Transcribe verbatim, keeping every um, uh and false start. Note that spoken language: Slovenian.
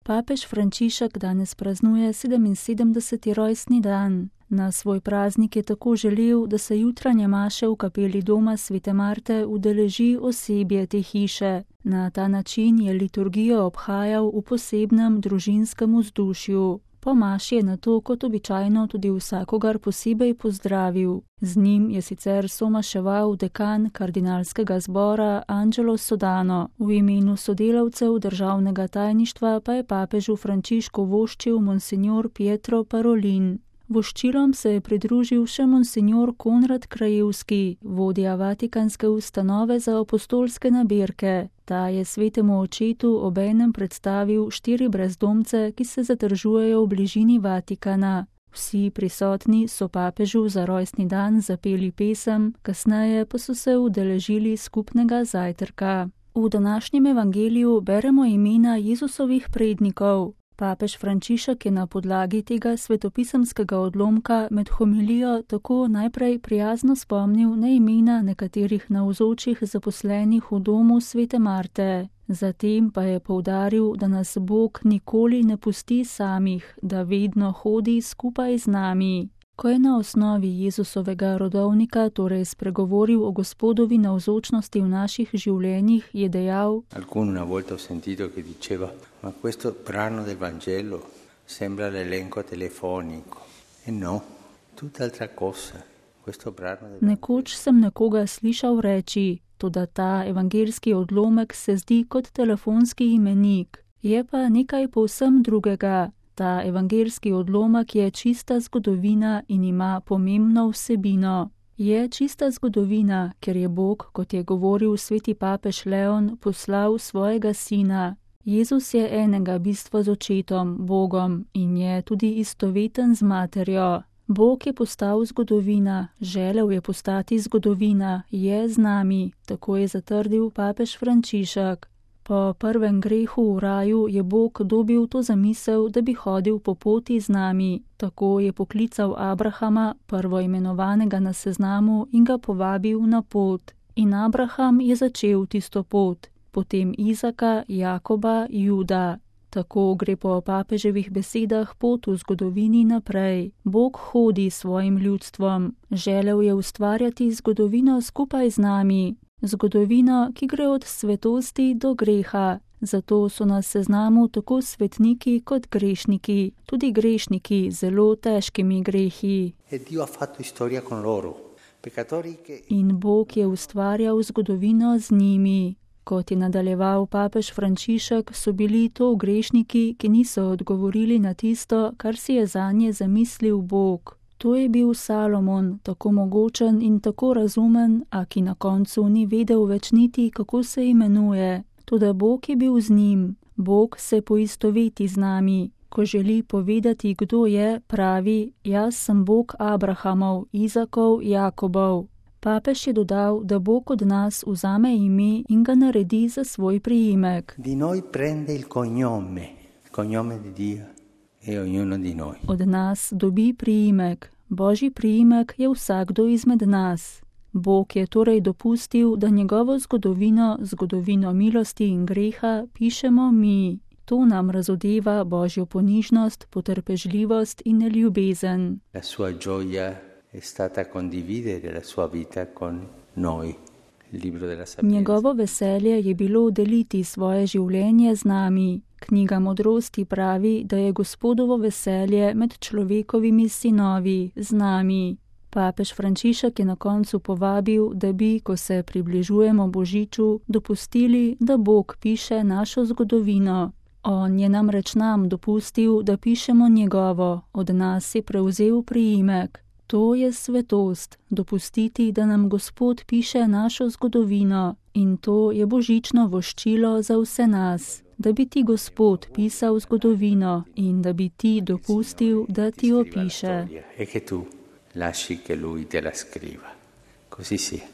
Papež Frančišek danes praznuje sedeminsedemdeseti rojstni dan. Na svoj praznik je tako želel, da se jutranje maše v kapeli doma svete Marte udeleži osebje te hiše. Na ta način je liturgijo obhajal v posebnem družinskem vzdušju. Po maši je nato kot običajno tudi vsakogar posebej pozdravil. Z njim je sicer somaševal dekan kardinalskega zbora Angelo Sodano. V imenu sodelavcev državnega tajništva pa je papežu Frančišku voščil monsignor Pietro Parolin. Voščilom se je pridružil še monsignor Konrad Krajevski, vodja Vatikanske ustanove za apostolske nabirke. Ta je svetemu očetu obenem predstavil štiri brezdomce, ki se zadržujejo v bližini Vatikana. Vsi prisotni so papežu za rojstni dan zapeli pesem, kasneje pa so se udeležili skupnega zajtrka. V današnjem evangeliju beremo imena Jezusovih prednikov. Papež Frančišek je na podlagi tega svetopisemskega odlomka med homilijo tako najprej prijazno spomnil na imena nekaterih navzočih zaposlenih v domu svete Marte. Zatem pa je poudaril, da nas Bog nikoli ne pusti samih, da vedno hodi skupaj z nami. Ko je na osnovi Jezusovega rodovnika torej spregovoril o Gospodovi navzočnosti v naših življenjih, je dejal: Alcuna volta ho sentito che diceva, ma questo brano del Vangelo sembra l'elenco telefonico. E no, tutt'altra cosa. Questo brano del Nekoč sem nekoga slišal reči, toda ta evangelski odlomek se zdi kot telefonski imenik. Je pa nekaj povsem drugega. Ta evangelski odlomek je čista zgodovina in ima pomembno vsebino. Je čista zgodovina, ker je Bog, kot je govoril sveti papež Leon, poslal svojega sina. Jezus je enega bistva z očetom, Bogom, in je tudi istoveten z materjo. Bog je postal zgodovina, želel je postati zgodovina, je z nami, tako je zatrdil papež Frančišek. Po prvem grehu v raju je Bog dobil to zamisel, da bi hodil po poti z nami. Tako je poklical Abrahama, prvoimenovanega na seznamu, in ga povabil na pot. In Abraham je začel tisto pot, potem Izaka, Jakoba, Juda. Tako gre po papeževih besedah pot v zgodovini naprej. Bog hodi s svojim ljudstvom. Želel je ustvarjati zgodovino skupaj z nami. Zgodovino, ki gre od svetosti do greha. Zato so na seznamu tako svetniki kot grešniki, tudi grešniki z zelo težkimi grehi. In Bog je ustvarjal zgodovino z njimi. Kot je nadaljeval papež Frančišek, so bili to grešniki, ki niso odgovorili na tisto, kar si je zanje zamislil Bog. To je bil Salomon, tako mogočen in tako razumen, a ki na koncu ni vedel več niti, kako se imenuje. Toda Bog je bil z njim. Bog se poistoveti z nami. Ko želi povedati, kdo je, pravi: jaz sem Bog Abrahamov, Izakov, Jakobov. Papež je dodal, da Bog od nas vzame ime in ga naredi za svoj priimek. Di noi prende il cognome, il cognome di Dio e ognuno di noi. Od nas dobi priimek. Božji priimek je vsakdo izmed nas. Bog je torej dopustil, da njegovo zgodovino, zgodovino milosti in greha, pišemo mi. To nam razodeva Božjo ponižnost, potrpežljivost in ljubezen. La sua gioia è stata condividere la sua vita con noi. Njegovo veselje je bilo deliti svoje življenje z nami. Knjiga modrosti pravi, da je Gospodovo veselje med človekovimi sinovi, z nami. Papež Frančišek je na koncu povabil, da bi, ko se približujemo Božiču, dopustili, da Bog piše našo zgodovino. On je namreč nam dopustil, da pišemo njegovo, od nas je prevzel priimek. To je svetost, dopustiti, da nam Gospod piše našo zgodovino, in to je božično voščilo za vse nas, da bi ti Gospod pisal zgodovino in da bi ti dopustil, da ti opiše. E che tu lasci che lui te la scriva. Così sia.